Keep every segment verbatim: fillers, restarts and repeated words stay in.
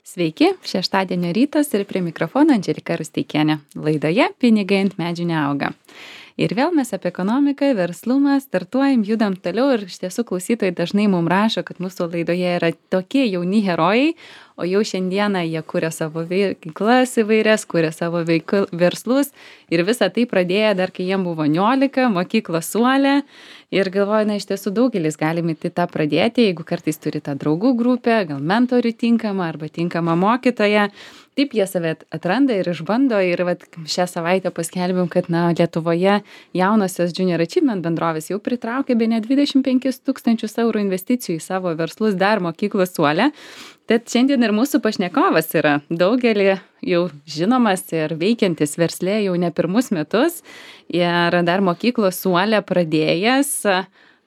Sveiki, šeštadienio rytas ir prie mikrofono Andželika Rusteikienė. Laidoje Pinigai ant medžių neauga. Ir vėl mes apie ekonomiką, verslumą, startuojam, judam toliau ir iš tiesų klausytojai dažnai mums rašo, kad mūsų laidoje yra tokie jauni herojai, o jau šiandieną jie kuria savo veiklas įvairias, kuria savo veikl, verslus ir visą tai pradėjo dar, kai jiem buvo niolika, mokyklos suolė. Ir galvoju, na, iš tiesų daugelis galime tą pradėti, jeigu kartais turi tą draugų grupę, gal mentorių tinkamą arba tinkamą mokytoją. Taip jie save atranda ir išbando ir vat, šią savaitę paskelbėm, kad na, Lietuvoje jaunosios Junior Achievement bendrovės jau pritraukė bene dvidešimt penkis tūkstančius eurų investicijų į savo verslus dar mokyklos suolę. Tad šiandien ir mūsų pašnekovas yra daugelį jau žinomas ir veikiantis verslė jau ne pirmus metus ir dar mokyklos suolę pradėjęs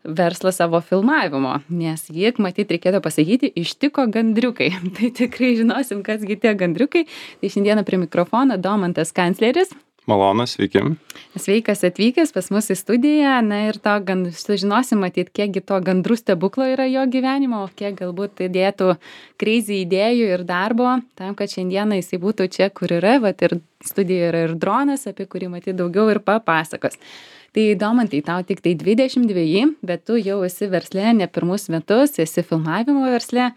verslą savo filmavimo, nes jį, matyt, reikėtų pasakyti, ištiko gandriukai. Tai tikrai žinosim, kasgi tie gandriukai. Tai šiandieną prie mikrofono Domantas Kancleris. Malonu, sveiki. Sveikas atvykęs pas mus į studiją. Na ir to gan sužinosim, matyt, kiekgi to gandrų stebuklo yra jo gyvenimo, o kiek galbūt įdėtų crazy idėjų ir darbo, tam, kad šiandieną jisai būtų čia, kur yra, vat ir studijoje yra ir dronas, apie kurį matyt daugiau ir papasakos. Tai Domantai, tau tik tai dvidešimt dveji, bet tu jau esi versle ne pirmus metus, esi filmavimo versle.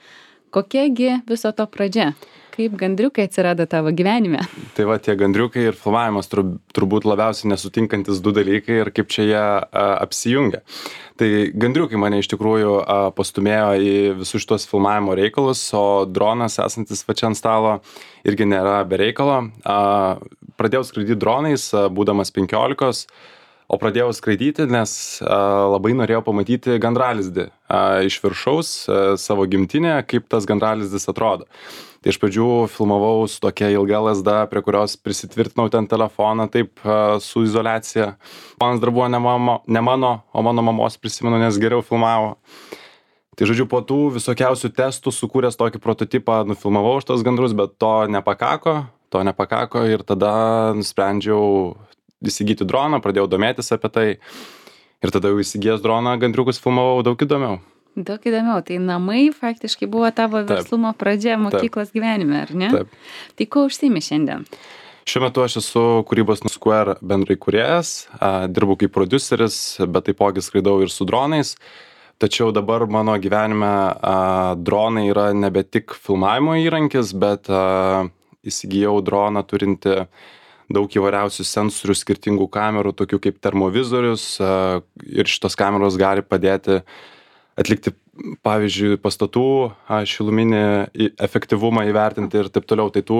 Kokiagi viso to pradžia? Kaip gandriukai atsirado tavo gyvenime? Tai va, tie gandriukai ir filmavimas tur, turbūt labiausiai nesutinkantis du dalykai ir kaip čia jie a, apsijungia. Tai gandriukai mane iš tikrųjų a, pastumėjo į visus šitos filmavimo reikalus, o dronas esantis va čia ant stalo irgi nėra be reikalo. A, pradėjau skraidyti dronais, a, būdamas penkiolikos. O pradėjau skraidyti, nes a, labai norėjau pamatyti gandralizdį a, iš viršaus a, savo gimtinę, kaip tas gandralizdis atrodo. Tai iš pradžių filmavau su tokia ilga lazda, prie kurios prisitvirtinau ten telefoną, taip a, su izoliacija. Planas dar buvo ne, mamo, ne mano, o mano mamos prisimenu, nes geriau filmavo. Tai žodžiu, po tų visokiausių testų sukūręs tokį prototipą nufilmavau šitos gandrus, bet to nepakako, to nepakako ir tada nusprendžiau įsigyti droną, pradėjau domėtis apie tai ir tada jau įsigijęs droną gandriukus filmavau daug įdomiau. Daug įdomiau, tai namai faktiškai buvo tavo verslumo Taip. Pradžia mokyklos Taip. Gyvenime, ar ne? Taip. Tai ko užsiimi šiandien? Šiuo metu aš esu kūrybos Square bendrai kūrėjas, dirbu kaip prodiuseris, bet taipogi skraidau ir su dronais. Tačiau dabar mano gyvenime a, dronai yra nebe tik filmavimo įrankis, bet a, įsigijau droną turinti daug įvairiausių sensorių, skirtingų kamerų, tokių kaip termovizorius, ir šitos kameros gali padėti atlikti, pavyzdžiui, pastatų šiluminį efektyvumą įvertinti ir taip toliau. Tai tų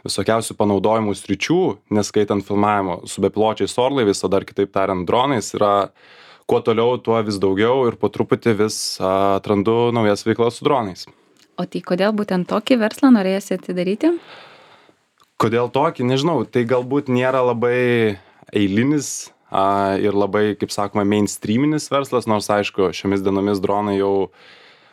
visokiausių panaudojimų sričių, neskaitant filmavimo su bepiločiais orlaiviais, o dar kitaip tariant dronais, yra kuo toliau, tuo vis daugiau ir po truputį vis atrandu naujas veiklas su dronais. O tai kodėl būtent tokį verslą norėsi atidaryti? Kodėl tokį, nežinau, tai galbūt nėra labai eilinis a, ir labai, kaip sakoma, mainstreaminis verslas, nors aišku, šiomis dienomis dronai jau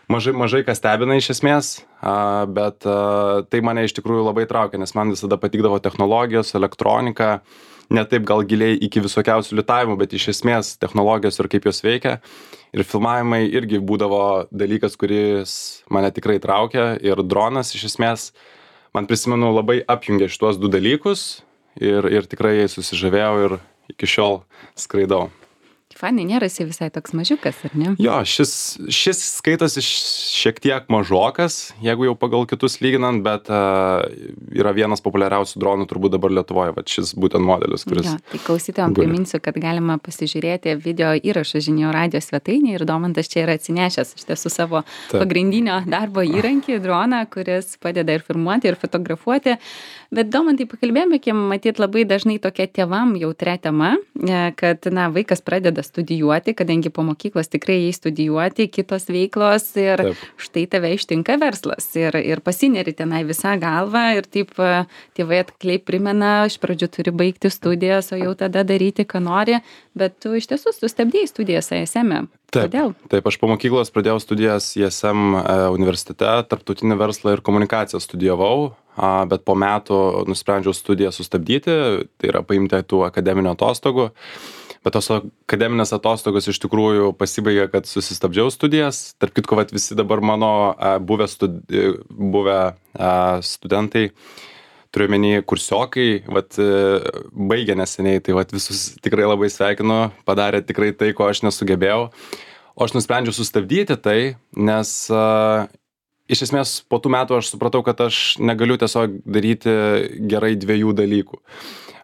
mažai, mažai kas stebina iš esmės, a, bet a, tai mane iš tikrųjų labai traukia, nes man visada patikdavo technologijos, elektronika, ne taip gal giliai iki visokiausių litavimų, bet iš esmės technologijos ir kaip jos veikia. Ir filmavimai irgi būdavo dalykas, kuris mane tikrai traukia ir dronas iš esmės. Man prisimenu labai apjungė šituos du dalykus ir, ir tikrai jais susižavėjau ir iki šiol skraidau. Fanai, nėra jisai visai toks mažiukas, ar ne? Jo, šis, šis skaitosi šiek tiek mažokas, jeigu jau pagal kitus lyginant, bet uh, yra vienas populiariausių dronų turbūt dabar Lietuvoje, va šis būtent modelis, kuris... Jo, tai klausytojams priminsiu, kad galima pasižiūrėti video įrašą žinių radijo svetainėje ir Domantas čia yra atsinešęs iš tiesų savo Taip. Pagrindinio darbo įrankį, droną, kuris padeda ir filmuoti, ir fotografuoti. Bet Domantai, pakalbėjome, matyt, labai dažnai tokia tėvam jautria tema, kad na, vaikas pradeda studijuoti, kadangi po mokyklos tikrai jai studijuoti, kitos veiklos ir taip. Štai tave ištinka verslas ir, ir pasineri tenai visą galvą ir taip tėvai atkliai primena, iš pradžių turi baigti studijas, o jau tada daryti, ką nori, bet tu iš tiesų sustabdėjai studijas I S M-e. Taip, Kodėl? Taip, aš po mokyklos pradėjau studijas I S M universitete, tarptautinį verslą ir komunikaciją studijavau. bet po metų nusprendžiau studiją sustabdyti, tai yra paimti tų akademinių atostogų. Bet tos akademinės atostogos iš tikrųjų pasibaigė, kad susistabdžiau studijas. Tarp kitko, vat, visi dabar mano buvę, studi buvę studentai, turiu menį kursiokai, vat, baigė neseniai, tai vat, visus tikrai labai sveikinu, padarė tikrai tai, ko aš nesugebėjau. O aš nusprendžiau sustabdyti tai, nes uh, iš esmės po tų metų aš supratau, kad aš negaliu tiesiog daryti gerai dviejų dalykų.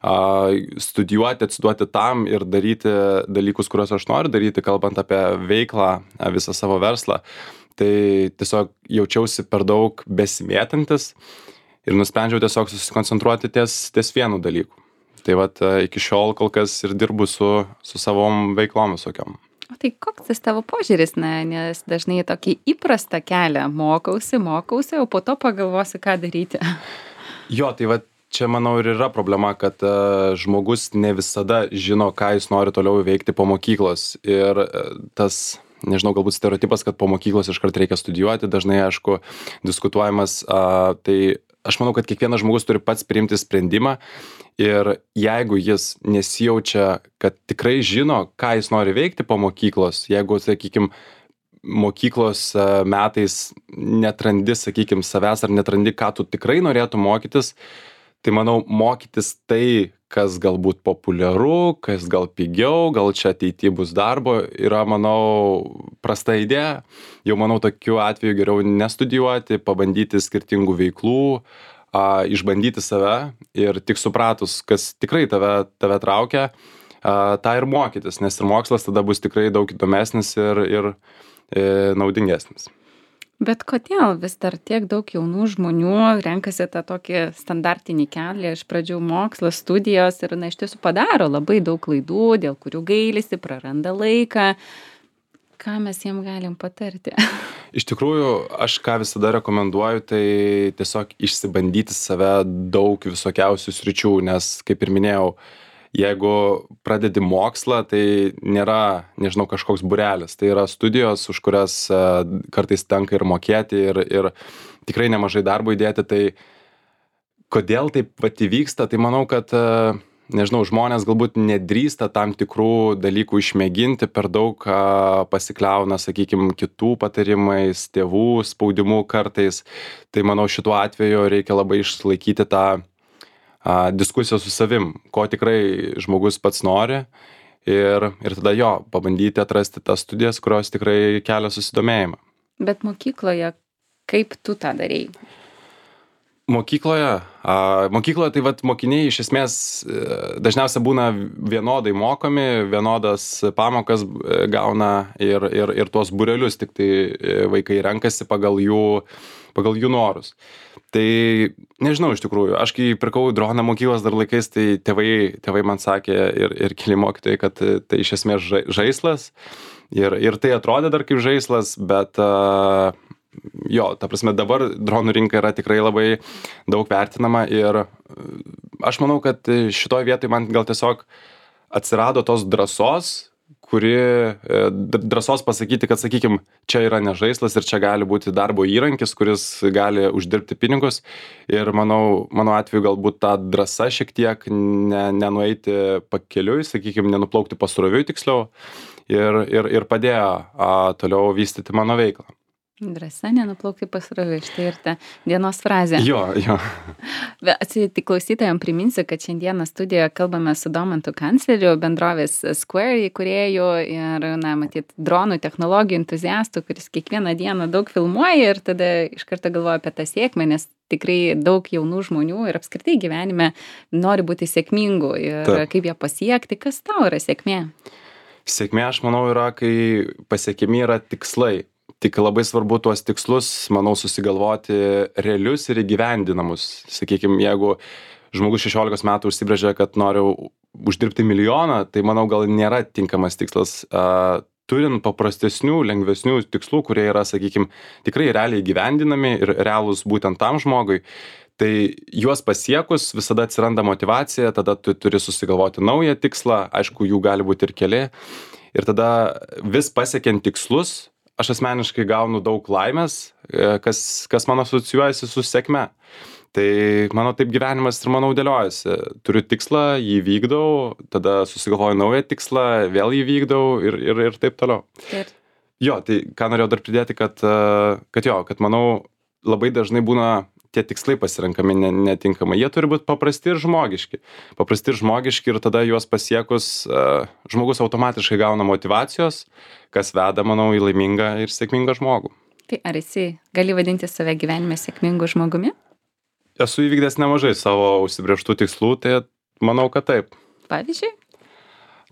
Uh, studijuoti, atsiduoti tam ir daryti dalykus, kuriuos aš noriu daryti, kalbant apie veiklą, visą savo verslą. Tai tiesiog jaučiausi per daug besimėtantis ir nusprendžiau tiesiog susikoncentruoti ties, ties vienu dalyku. Tai vat iki šiol kol kas ir dirbu su, su savom veiklom visokiom. O tai koks tas tavo požiūris, na, nes dažnai tokį įprastą kelią mokausi, mokausi, o po to pagalvosiu, ką daryti. Jo, tai va čia manau ir yra problema, kad uh, žmogus ne visada žino, ką jis nori toliau veikti po mokyklos. Ir uh, tas, nežinau, galbūt stereotipas, kad po mokyklos iškart reikia studijuoti, dažnai, aišku, diskutuojamas. Uh, tai aš manau, kad kiekvienas žmogus turi pats priimti sprendimą. Ir jeigu jis nesijaučia, kad tikrai žino, ką jis nori veikti po mokyklos, jeigu, sakykime, mokyklos metais netrandi, sakykime, savęs ar netrandi, ką tu tikrai norėtum mokytis, tai manau, mokytis tai, kas galbūt populiaru, kas gal pigiau, gal čia ateityje bus darbo, yra, manau, prasta idėja. Jau, manau, tokiu atveju geriau nestudijuoti, pabandyti skirtingų veiklų, a, išbandyti save ir tik supratus, kas tikrai tave, tave traukia, a, tą ir mokytis, nes ir mokslas tada bus tikrai daug įdomesnis ir, ir e, naudingesnis. Bet kodėl vis dar tiek daug jaunų žmonių renkasi tą tokį standartinį kelią, iš pradžių mokslas, studijos ir, na, iš tiesų padaro labai daug klaidų, dėl kurių gailisi, praranda laiką. Ką mes jiem galim patarti? Iš tikrųjų, aš ką visada rekomenduoju, tai tiesiog išsibandyti save daug visokiausių sričių, nes, kaip ir minėjau, jeigu pradedi mokslą, tai nėra, nežinau, kažkoks būrelis, tai yra studijos, už kurias kartais tenka ir mokėti ir, ir tikrai nemažai darbo įdėti, tai kodėl taip vat įvyksta, tai manau, kad nežinau, žmonės galbūt nedrįsta tam tikrų dalykų išmėginti, per daug pasikliauna, sakykime, kitų patarimais, tėvų spaudimu kartais. Tai manau, šituo atveju reikia labai išlaikyti tą a, diskusiją su savim, ko tikrai žmogus pats nori ir, ir tada jo, pabandyti atrasti tas studijas, kurios tikrai kelia susidomėjimą. Bet mokykloje, kaip tu tą darei? Mokykloje, a, mokykloje tai vat mokiniai iš esmės dažniausiai būna vienodai mokomi, vienodas pamokas gauna ir, ir, ir tuos būrelius, tik tai vaikai renkasi pagal jų, pagal jų norus. Tai nežinau iš tikrųjų, aš kai pirkau droną mokyklos dar laikais, tai tėvai, tėvai man sakė ir, ir keli mokytojai, kad tai iš esmės žaislas ir, ir tai atrodė dar kaip žaislas, bet a, jo, ta prasme dabar dronų rinka yra tikrai labai daug vertinama ir aš manau, kad šitoj vietoj man gal tiesiog atsirado tos drąsos, kuri drąsos pasakyti, kad, sakykime, čia yra ne žaislas ir čia gali būti darbo įrankis, kuris gali uždirbti pinigus ir manau, mano atveju galbūt ta drąsa šiek tiek ne, nenueiti pakeliui, sakykime, nenuplaukti pasroviui tiksliau ir, ir, ir padėjo a, toliau vystyti mano veiklą. Drąsa nenuplaukti pasroviui, štai ir ta dienos frazė. Jo, jo. Atsitikti klausytojams priminsiu, kad šiandieną studijoje kalbame su Domantu Kancleriu, bendrovės Square įkūrėju ir, na, matyt, dronų technologijų entuziastų, kuris kiekvieną dieną daug filmuoja ir tada iš karto galvoja apie tą sėkmę, nes tikrai daug jaunų žmonių ir apskritai gyvenime nori būti sėkmingų ir Taip. Kaip ją pasiekti, kas tau yra sėkmė? Sėkmė, aš manau, yra, kai pasiekiami yra tikslai. Tik labai svarbu tuos tikslus, manau, susigalvoti realius ir įgyvendinamus. Sakykime, jeigu žmogus šešiolikos metų užsibrėžia, kad noriu uždirbti milijoną, tai manau, gal nėra tinkamas tikslas. Uh, turint paprastesnių, lengvesnių tikslų, kurie yra, sakykime, tikrai realiai įgyvendinami ir realūs būtent tam žmogui, tai juos pasiekus visada atsiranda motyvacija, tada tu turi susigalvoti naują tikslą, aišku, jų gali būti ir keli. Ir tada vis pasiekiant tikslus, aš asmeniškai gaunu daug laimės, e, kas, kas man asocijuojasi su sėkme. Tai mano taip gyvenimas ir manau dėliojasi. Turiu tikslą, jį vykdau, tada susigalvoju naują tikslą, vėl jį vykdau ir, ir, ir taip toliau. Ir Jo, tai ką norėjau dar pridėti, kad, e, kad jo, kad manau labai dažnai būna tie tikslai pasirenkami ne- netinkamai. Jie turi būti paprasti ir žmogiški. Paprasti ir žmogiški ir tada juos pasiekus e, žmogus automatiškai gauna motyvacijos, kas veda, manau, į laimingą ir sėkmingą žmogų. tai ar esi, gali vadinti save gyvenime sėkmingu žmogumi? Esu įvykdęs nemažai savo užsibrėžtų tikslų, tai manau, kad taip. Pavyzdžiui?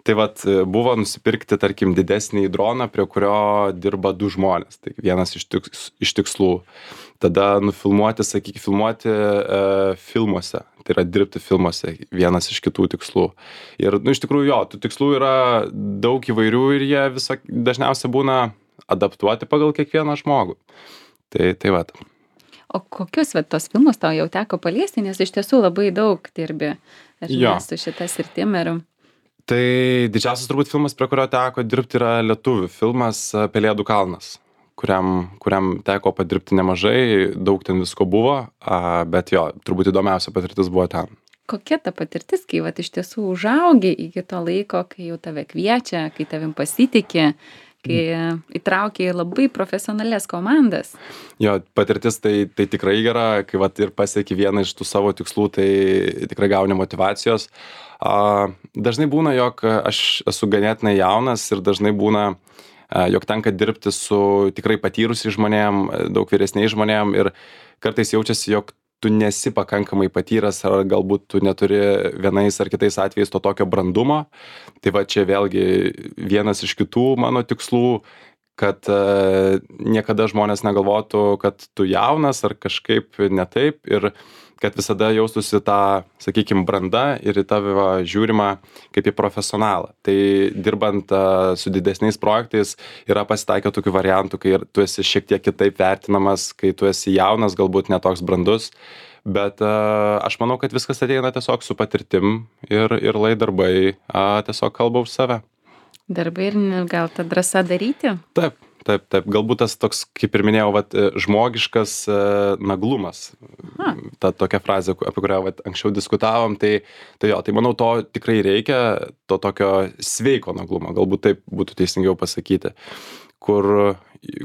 Tai vat e, buvo nusipirkti, tarkim, didesnį droną, prie kurio dirba du žmonės. Tai vienas iš, tiks, iš tikslų. Tada nufilmuoti, sakykime, filmuoti e, filmuose. Tai yra dirbti filmuose. Vienas iš kitų tikslų. Ir, nu, iš tikrųjų, jo, tų tikslų yra daug įvairių ir jie viso, dažniausiai būna adaptuoti pagal kiekvieną žmogų. Tai, tai vat. O kokius vat, tos filmus tau jau teko paliesti, nes iš tiesų labai daug dirbi ar ne, Jo. su šita sritim ir Tai didžiausias turbūt filmas, prie kurio teko dirbti, yra lietuvių filmas e, Pelėdų kalnas, kuriam, kuriam teko padirbti nemažai, daug ten visko buvo, a, bet jo, turbūt įdomiausia patirtis buvo ten. kokia ta patirtis, kai vat, iš tiesų užaugi iki to laiko, kai jau tave kviečia, kai tavim pasitikė, kai įtraukia į labai profesionalias komandas. Jo, patirtis tai, tai tikrai gera, kai vat, ir pasieki vieną iš tų savo tikslų, tai tikrai gauni motivacijos. A, dažnai būna, jog aš esu ganėtinai jaunas ir dažnai būna, a, jog tenka dirbti su tikrai patyrusiais žmonėm, daug vyresniais žmonėm ir kartais jaučiasi, jog tu nesi pakankamai patyręs ar galbūt tu neturi vienais ar kitais atvejais to tokio brandumo. Tai va čia vėlgi vienas iš kitų mano tikslų, kad e, niekada žmonės negalvotų, kad tu jaunas ar kažkaip ne taip ir kad visada jaustųsi tą, sakykime, brandą ir į tave va, žiūrima kaip į profesionalą. Tai dirbant uh, su didesniais projektais yra pasitaikę tokių variantų, kai ir tu esi šiek tiek kitaip vertinamas, kai tu esi jaunas, galbūt netoks brandus, bet uh, aš manau, kad viskas ateina tiesiog su patirtim ir, ir lai darbai uh, tiesiog kalba už save. Darbai ir gal ta drąsa daryti? Taip. Taip, taip, galbūt tas toks, kaip ir minėjau, vat, žmogiškas e, naglumas. Ha. Ta tokia frazė, apie kurią vat, anksčiau diskutavom, tai, tai jo, tai manau, to tikrai reikia, to tokio sveiko naglumo, galbūt taip būtų teisingiau pasakyti, kur,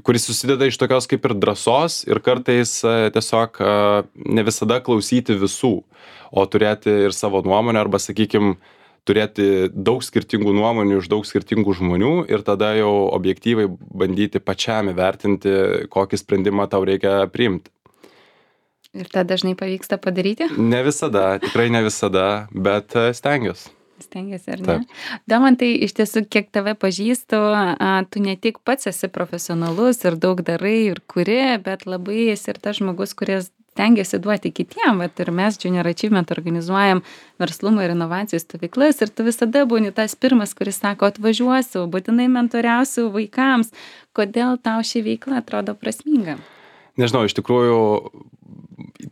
kuris susideda iš tokios kaip ir drąsos ir kartais e, tiesiog e, ne visada klausyti visų, o turėti ir savo nuomonę arba, sakykime, turėti daug skirtingų nuomonių iš daug skirtingų žmonių ir tada jau objektyvai bandyti pačiam įvertinti, kokį sprendimą tau reikia priimti. Ir tą dažnai pavyksta padaryti? Ne visada, tikrai ne visada, bet e, stengiuosi. Stengiasi, ar ne? Domantai, iš tiesų, kiek tave pažįstu, a, tu ne tik pats esi profesionalus ir daug darai ir kuri, bet labai esi ir tas žmogus, kuris stengiasi duoti kitiem. Vat ir mes Junior Achievement organizuojam verslumo ir inovacijų stovyklas ir tu visada būni tas pirmas, kuris sako, atvažiuosiu, būtinai mentoriausiu vaikams. Kodėl tau ši veikla atrodo prasminga? Nežinau, iš tikrųjų,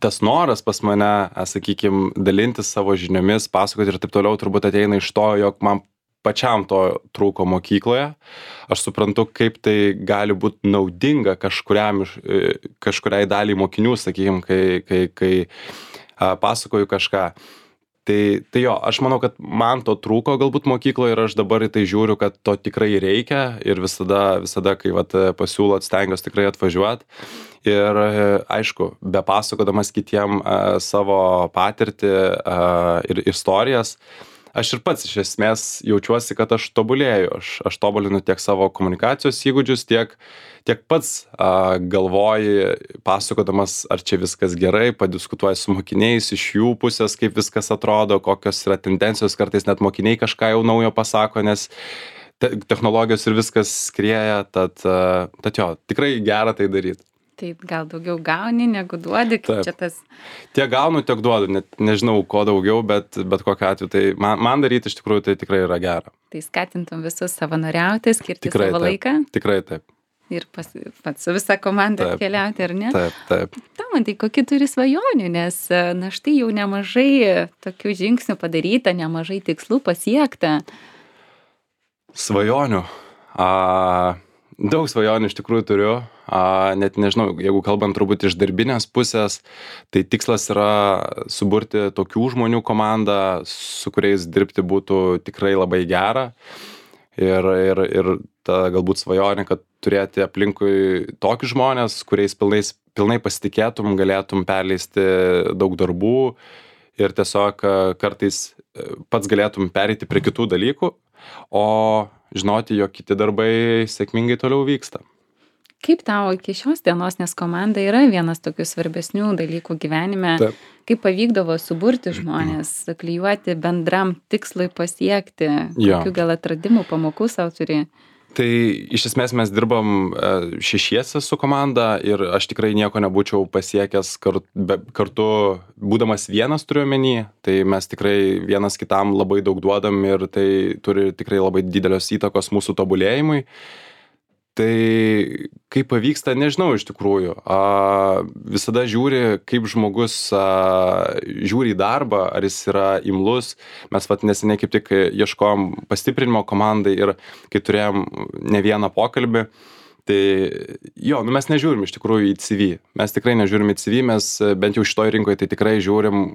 tas noras pas mane, sakykime, dalintis savo žiniomis, pasakoti ir taip toliau, turbūt ateina iš to, jog man pačiam to trūko mokykloje. Aš suprantu, kaip tai gali būti naudinga kažkuriam, iš- e, kažkuriai daliai mokinių, sakykime, kai, kai, kai a, pasakoju kažką. Tai, tai jo, aš manau, kad man to trūko galbūt mokykloje ir aš dabar į tai žiūriu, kad to tikrai reikia ir visada, visada kai vat, pasiūlot, stengiuosi tikrai atvažiuoti. Ir e, aišku, be pasakodamas kitiem e, savo patirtį e, ir istorijas, aš ir pats iš esmės jaučiuosi, kad aš tobulėju. Aš, aš tobulinu tiek savo komunikacijos įgūdžius, tiek, tiek pats a, galvoji, pasakodamas, ar čia viskas gerai, padiskutuoji su mokiniais iš jų pusės, kaip viskas atrodo, kokios yra tendencijos, kartais net mokiniai kažką jau naujo pasako, nes te technologijos ir viskas skrieja, tad, a, tad jo, tikrai gera tai daryti. Tai gal daugiau gauni, negu duodi, kaip Taip. čia tas... Tiek gaunu, tiek duodu, net nežinau, ko daugiau, bet, bet kokiu atveju, tai man, man daryti iš tikrųjų tai tikrai yra gera. Tai skatintum visus savanoriauti, skirti Tikrai savo taip. laiką Tikrai taip. ir pas, pats su visa komanda Taip. keliauti, ar ne? Taip, taip. Domantai, kokį turi svajonių, nes na štai jau nemažai tokių žingsnių padaryta, nemažai tikslų pasiekta. Svajonių. A, daug svajonių iš tikrųjų turiu, a, net nežinau, jeigu kalbant turbūt iš darbinės pusės, tai tikslas yra suburti tokių žmonių komandą, su kuriais dirbti būtų tikrai labai gera. Ir, ir, ir ta galbūt svajonė, kad turėti aplinkui tokius žmonės, kuriais pilnais, pilnai pasitikėtum, galėtum perleisti daug darbų ir tiesiog kartais pats galėtum pereiti prie kitų dalykų, o žinoti, jog kiti darbai sėkmingai toliau vyksta. Kaip tau iki šios dienos, nes komanda yra vienas tokių svarbesnių dalykų gyvenime, Taip. Kaip pavykdavo suburti žmonės, klijuoti bendram tikslui pasiekti, Jo. kokių gal atradimų pamokų savo turi? Tai iš esmės mes dirbam šešiese su komanda ir aš tikrai nieko nebūčiau pasiekęs kar, be, kartu, būdamas vienas turiu omeny, tai mes tikrai vienas kitam labai daug duodam ir tai turi tikrai labai didelios įtakos mūsų tobulėjimui. Tai kaip pavyksta, nežinau iš tikrųjų. A, visada žiūri, kaip žmogus a, žiūri į darbą, ar jis yra imlus. Mes vat neseniai kaip tik ieškojom pastiprinimo komandai ir kai turėjom ne vieną pokalbį, tai jo, nu mes nežiūrim iš tikrųjų į C V. Mes tikrai nežiūrim į C V, mes bent jau šitoj rinkoje tai tikrai žiūrim,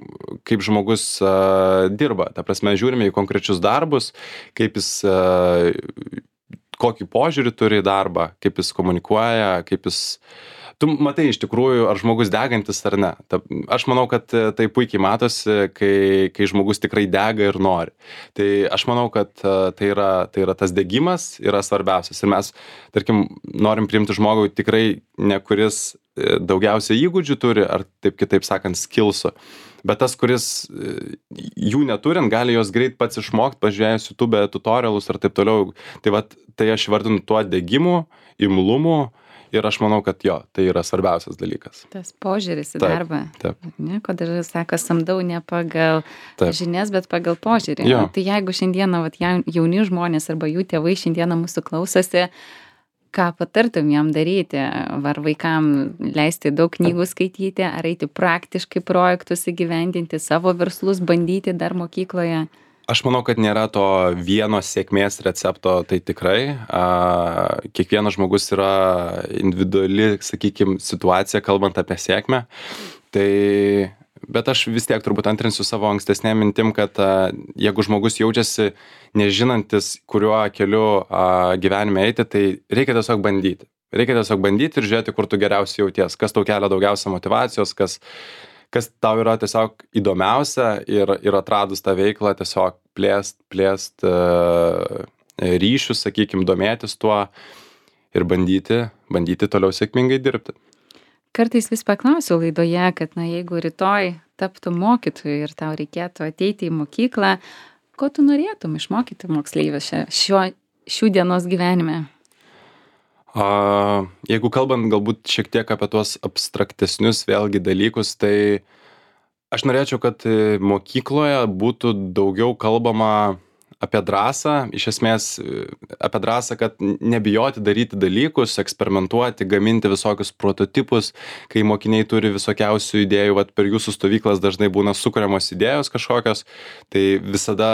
kaip žmogus a, dirba. Ta prasme, žiūrime į konkrečius darbus, kaip jis a, kokį požiūrį turi į darbą, kaip jis komunikuoja, kaip jis... Tu matai iš tikrųjų, ar žmogus degantis ar ne. Ta, aš manau, kad tai puikiai matosi, kai, kai žmogus tikrai dega ir nori. Tai aš manau, kad tai yra, tai yra tas degimas yra svarbiausias. Ir mes, tarkim, norim priimti žmogų tikrai ne kuris daugiausia įgūdžių turi, ar taip kitaip sakant, skillsų. Bet tas, kuris jų neturint, gali jos greit pats išmokti, pažiūrėjus YouTube tutorialus ir taip toliau. Tai, vat, tai aš vardinu tuo degimu, imlumu ir aš manau, kad jo, tai yra svarbiausias dalykas. Tas požiūris į taip, darbą. Taip. Ne, kodėl sako, samdau ne pagal taip. žinias, bet pagal požiūrį. Jo. Tai jeigu šiandieną vat, jauni žmonės arba jų tėvai šiandieną mūsų klausosi, ką patartum jam daryti? Ar vaikam leisti daug knygų skaityti, ar eiti praktiškai projektus įgyvendinti, savo verslus bandyti dar mokykloje? Aš manau, kad nėra to vieno sėkmės recepto, tai tikrai. A, kiekvienas žmogus yra individuali, sakykime, situacija, kalbant apie sėkmę. Tai, bet aš vis tiek turbūt antrinsiu savo ankstesnėm mintim, kad a, jeigu žmogus jaučiasi nežinantis, kuriuo keliu a, gyvenime eiti, tai reikia tiesiog bandyti. Reikia tiesiog bandyti ir žiūrėti, kur tu geriausiai jauties, kas tau kelia daugiausia motyvacijos, kas, kas tau yra tiesiog įdomiausia ir, ir atradus tą veiklą tiesiog plėst, plėst uh, ryšius, sakykime, domėtis tuo ir bandyti, bandyti toliau sėkmingai dirbti. Kartais vis paklausiu laidoje, kad na, jeigu rytoj taptų mokytoju ir tau reikėtų ateiti į mokyklą, ko tu norėtum išmokyti moksleivius šiuo, šių dienos gyvenime? A, jeigu kalbant galbūt šiek tiek apie tuos abstraktesnius vėlgi dalykus, tai aš norėčiau, kad mokykloje būtų daugiau kalbama apie drąsą, iš esmės apie drąsą, kad nebijoti daryti dalykus, eksperimentuoti, gaminti visokius prototipus, kai mokiniai turi visokiausių idėjų, vat per jūsų stovyklas dažnai būna sukuriamos idėjos kažkokios, tai visada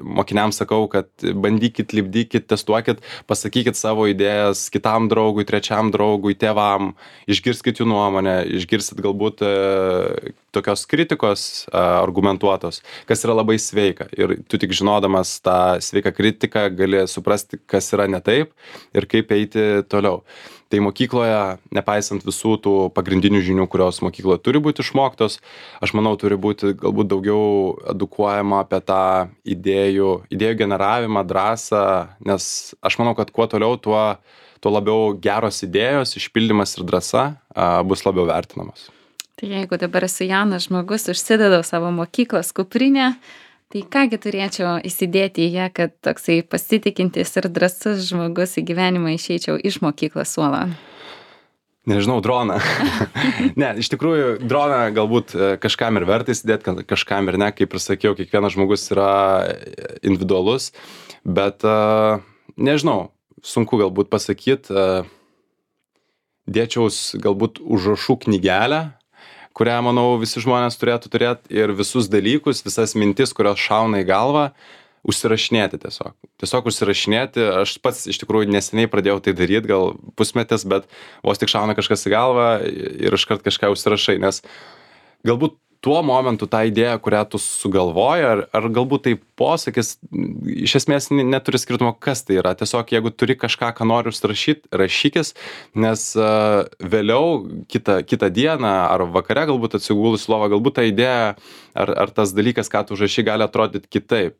mokiniams sakau, kad bandykit, lipdykit, testuokit, pasakykit savo idėjas kitam draugui, trečiam draugui, tėvam, išgirskit jų nuomonę, išgirsit galbūt e, tokios kritikos e, argumentuotos, kas yra labai sveika ir tu tik žinodamas tą sveiką kritiką gali suprasti, kas yra ne taip ir kaip eiti toliau. Tai mokykloje, nepaisant visų tų pagrindinių žinių, kurios mokykloje turi būti išmoktos, aš manau, turi būti galbūt daugiau edukuojama apie tą idėjų, idėjų generavimą, drąsą, nes aš manau, kad kuo toliau, tuo, tuo labiau geros idėjos, išpildymas ir drąsa a, bus labiau vertinamos. Tai jeigu dabar esu jaunas žmogus, užsidedau savo mokyklos kuprinę, tai kągi turėčiau įsidėti į ją, kad toksai pasitikintis ir drąsus žmogus į gyvenimą išeičiau iš mokyklos suolo? Nežinau, droną. Ne, iš tikrųjų, droną galbūt kažkam ir verta įsidėti, kažkam ir ne, kaip ir sakiau, kiekvienas žmogus yra individualus, bet nežinau, sunku galbūt pasakyti, dėčiaus galbūt užrašų knygelę, kurią, manau, visi žmonės turėtų turėti ir visus dalykus, visas mintis, kurios šauna į galvą, užsirašinėti tiesiog. Tiesiog užsirašinėti. Aš pats iš tikrųjų neseniai pradėjau tai daryti, gal pusmetis, bet vos tik šauna kažkas į galvą ir iškart kažką užsirašai, nes galbūt tuo momentu tą idėją, kurią tu sugalvoji, ar, ar galbūt tai posakis, iš esmės neturi skirtumo, kas tai yra. Tiesiog jeigu turi kažką, ką nori užsirašyti, rašykis, nes uh, vėliau kitą, kitą dieną ar vakare galbūt atsigulus lovą, galbūt ta idėja ar, ar tas dalykas, ką tu užrašy, gali atrodyti kitaip.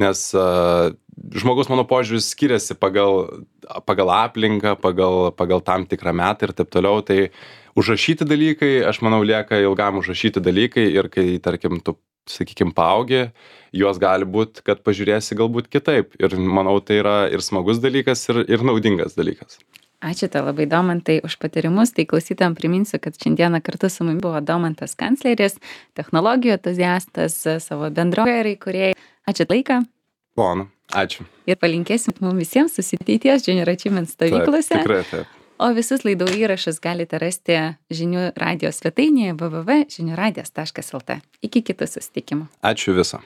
Nes uh, žmogus, mano požiūris, skiriasi pagal, pagal aplinką, pagal, pagal tam tikrą metą ir taip toliau. Tai užrašyti dalykai, aš manau, lieka ilgam užrašyti dalykai ir kai, tarkim, tu, sakykim, paaugi, juos gali būt, kad pažiūrėsi galbūt kitaip. Ir manau, tai yra ir smagus dalykas, ir, ir naudingas dalykas. Ačiū tau labai, Domantai, už patarimus. Tai klausytojams priminsiu, kad šiandieną kartu su mumis buvo Domantas Kancleris, technologijų entuziastas, savo bendrovėje ir įkūrėjai. Ačiū laiką. Ponu, ačiū. Ir palinkėsim mums visiems susitikties Junior Achievement stovyklose. Taip, tikrai taip. O visus laidų įrašus galite rasti žinių radijos svetainėje w w w taškas žinių radijas taškas l t. Iki kitų susitikimų. Ačiū viso.